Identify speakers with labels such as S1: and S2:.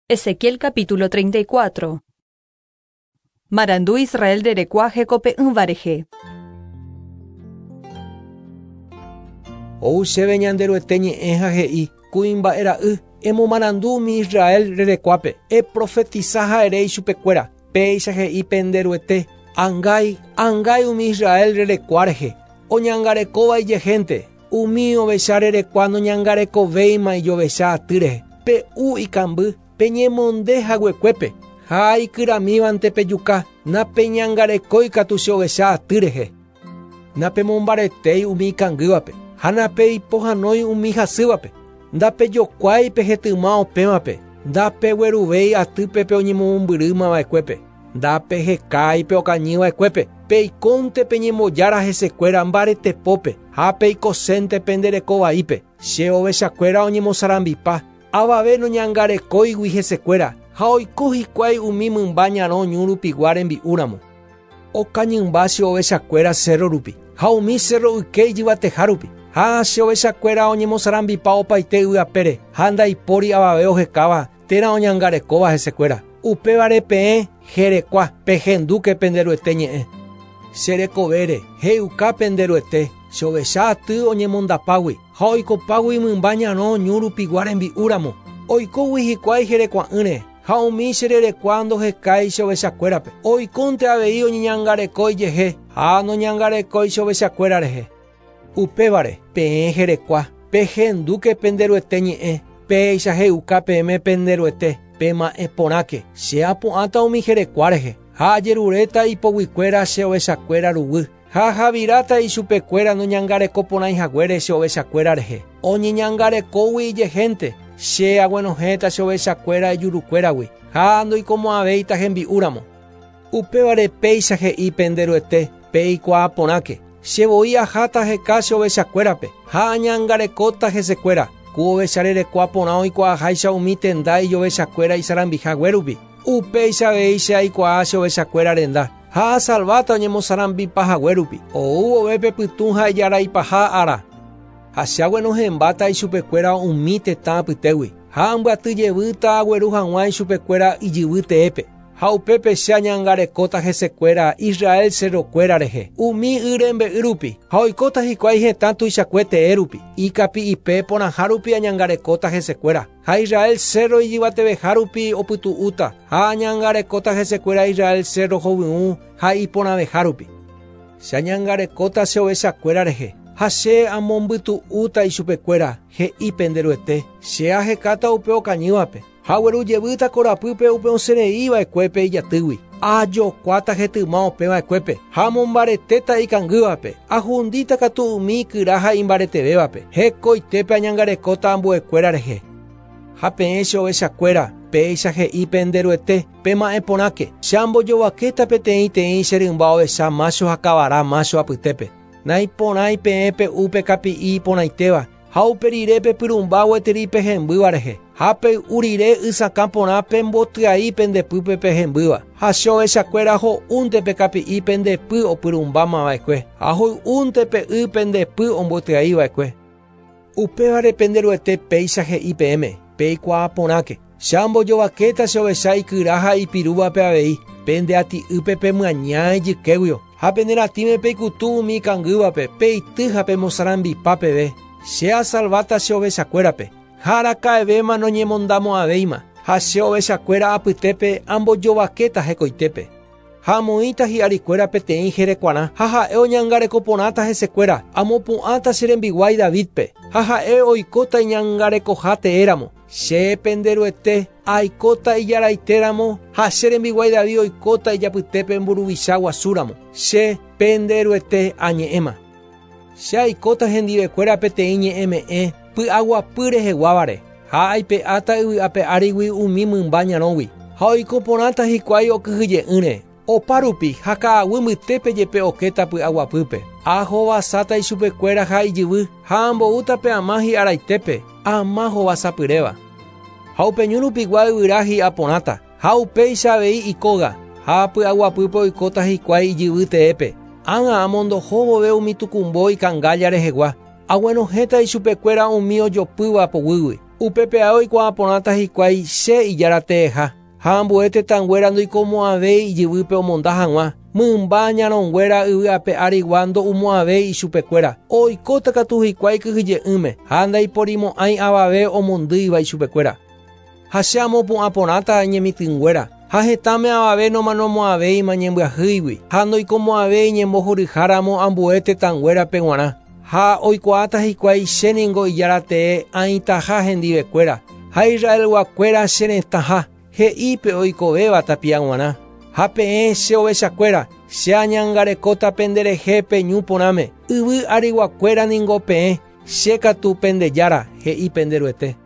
S1: Ezequiel capítulo 34. Marandu Israel rerekua hekope'ỹva rehe.
S2: Ou chéve Ñanderuete ñe'ẽ ha he'i, Kuimba'e ra'y, emomarandu umi Israel rerekuápe, eprofetisa ha ere ichupekuéra, péicha he'i pende Ruete, Angái, angái umi Israel rerekua rehe, oñangarekóva ijehénte, Umi ovecha rerekua noñangarekovéima ijovecha aty rehe, pe'u ikamby, peñemonde haguekuépe, ha ikyramívante pejuka, napeñangarekói katu che ovecha aty rehe. Napemombaretéi umi ikangývape, ha napeipohãnói umi hasývape, ndapejokuái pe hetyma opẽvape, ndapegueruvéi atýpe pe oñemomombyrýma va'ekuépe. Ndapehekái pe okañy va'ekuépe, peikónte peñembojára hesekuéra mbaretepópe ha peikosénte pende reko vaípe. Che ovechakuéra oñemosarambipa, avave noñangarekóigui hesekuéra ha oiko hikuái umi mymba ñarõ ñu rupigua rembi'úramo. Okañymba che ovechakuéra sérro rupi ha umi sérro yke ijyvateha rupi. Ha che ovechakuéra oñemosarambipa opaite yvy apére ha ndaipóri avave ohekáva térã oñangarekóva hesekuéra. Upévare peẽ jerekua, pehendúke pende Ruete ñe'ẽ. Che rekovére, he'uka pende Ruete, che ovecha aty oñemondapágui, ha oikopágui mymba ñarõ ñu rupigua rembi'u ramo. Oikógui hikuái jerekua'ỹre, ha umi che rerekua ndohekái che ovechakuérape. Oikónte avei oñeñangareko ijehe, ha noñangarekói che ovechakuéra rehe. Upévare, peẽ jerekua, pehendúke pende Ruete ñe'ẽ, péicha he'uka peẽme pende Ruete, Pema'ẽ porãke, che apu'ãta umi jerekua rehe, ha ajeruréta ipoguikuéra che ovechakuéra ruguy, ha ahaviráta ichupekuéra noñangareko porãi haguére che ovechakuéra rehe. Oñeñangarekógui ijehénte, che aguenohẽta che ovechakuéra ijurukuéragui, ha ndoikomo'ãvéita hembi'úramo. Upévare péicha he'i pende Ruete, Peikuaa porãke, che voi aháta aheka che ovechakuérape, ha añangarekóta hesekuéra, ku ovecha rerekua porã oikuaaháicha umi tenda ijovechakuéra isarambiha rupi. Upéicha avei che aikuaa che ovechakuéra renda, ha asalváta oñemosarambipa hague rupi, ou vove pe pytũ ha ijaraipaha ára. Ha che aguenohẽmbáta ichupekuéra umi tetã apytégui, ha ambyaty jevýta agueru hag̃ua ichupekuéra ijyvy teépe. Ha upépe che añangarekóta hesekuéra Israel cerrokuéra rehe, umi y rembe'y rupi, ha oikóta hikuái hetã tuichakue tee rupi, ikapi'ipe porãha rupi añangarekóta hesekuéra, ha Israel cerro ijyvateveha rupi opytu'úta, ha añangarekóta hesekuéra Israel cerro hovyũ ha iporãveha rupi. Che añangarekóta che ovechakuéra rehe, ha che amombytu'úta ichupekuéra, he'i pende Ruete, che ahekáta upe okañývape. Ha agueru jevýta korapýpe upe osẽrei va'ekuépe ijatýgui. Ajokuáta hetyma opẽ va'ekuépe, ha amombaretéta ikangývape, ahundíta katu umi ikyra ha imbaretevévape, hekoitépe añangarekóta ambuekuéra rehe. Ha peẽ che ovechakuéra, péicha he'i pende Ruete, Pema'ẽ porãke, che ambojovakéta peteĩ-teĩ che rymba ovecha mácho ha kavara mácho apytépe. Naiporãi peẽ pe'u pe kapi'i iporãitéva, Ha upe rire pepyrũmba gueteri pe hembýva rehe, ha pey'u rire y sakã porã pembotyai pende pýpe pe hembýva, ha che ovechakuéra ho'únte pe kapi'i pende py opyrũmbáma va'ekue, ha hoy'únte pe y pende py ombotyai va'ekue. Upévare pende Ruete péicha he'i peẽme, Peikuaa porãke, che ambojovakéta che ovecha ikyra ha ipirúvape avei, pende ati'ýpe pemyaña ijykéguio, ha pene ratĩme peikutu umi ikangývape, peity ha pemosarambipa peve. Che asalváta che ovechakuérape, ha araka'evéma noñemondamo'ãvéima, ha che ovechakuéra apytépe ambojovakéta hekoitépe. Ha amoĩta hi'arikuéra peteĩ jerekuarã, ha ha'e oñangareko porãta hesekuéra, amopu'ãta che rembiguái Davídpe, ha ha'e oikóta iñangarekoha teéramo. Che, pende Ruete, aikóta ijaraitéramo, ha che rembiguái David oikóta ijapytépe mburuvicha guasúramo. Che, pende Ruete, añe'ẽma. Che aikóta hendivekuéra peteĩ ñe'ẽme'ẽ py'aguapy reheguávare, ha aipe'áta yvy ape árigui umi mymba ñarõgui, ha oiko porãta hikuái okyhyje'ỹre, opa rupi ha ka'aguy mbytépe jepe okéta py'aguapýpe. Ahovasáta ichupekuéra ha ijyvy, ha amboúta pe ama hi'araitépe, ama hovasapyréva. Ha upe ñu rupigua yvyra hi'a porãta, ha upéicha avei ikóga, ha py'aguapýpe oikóta hikuái ijyvy teépe. Ág̃a amondoho vove umi tukumbo ikangálla rehegua, aguenohẽta ichupekuéra umi ojopýva poguýgui. Upépe ae oikuaa porãta hikuái che Ijára teeha, ha ambue tetãnguéra ndoikomo'ãvéi ijyvýpe omonda hag̃ua, mymba ñarõnguéra yvy ape arigua ndo'umo'ãvéi ichupekuéra, oikóta katu hikuái kyhyje'ỹme, ha ndaiporimo'ãi avave omondýiva ichupekuéra. Ha che amopu'ã porãta ñemitỹnguéra, ha hetãme avave nomanomo'ãvéima ñembyahýigui, ha ndoikomo'ãvéi ñembohoryháramo ambue tetãnguérape g̃uarã. Ha oikuaáta hikuái che ningo Ijára tee aĩtaha hendivekuéra, ha Israelguakuéra che retãha, he'i pe oikovéva tapia g̃uarã. Ha peẽ che ovechakuéra, che añangarekóta penderehe pe ñu porãme, yvy ariguakuéra ningo peẽ, che katu pende Jára, he'i pende Ruete.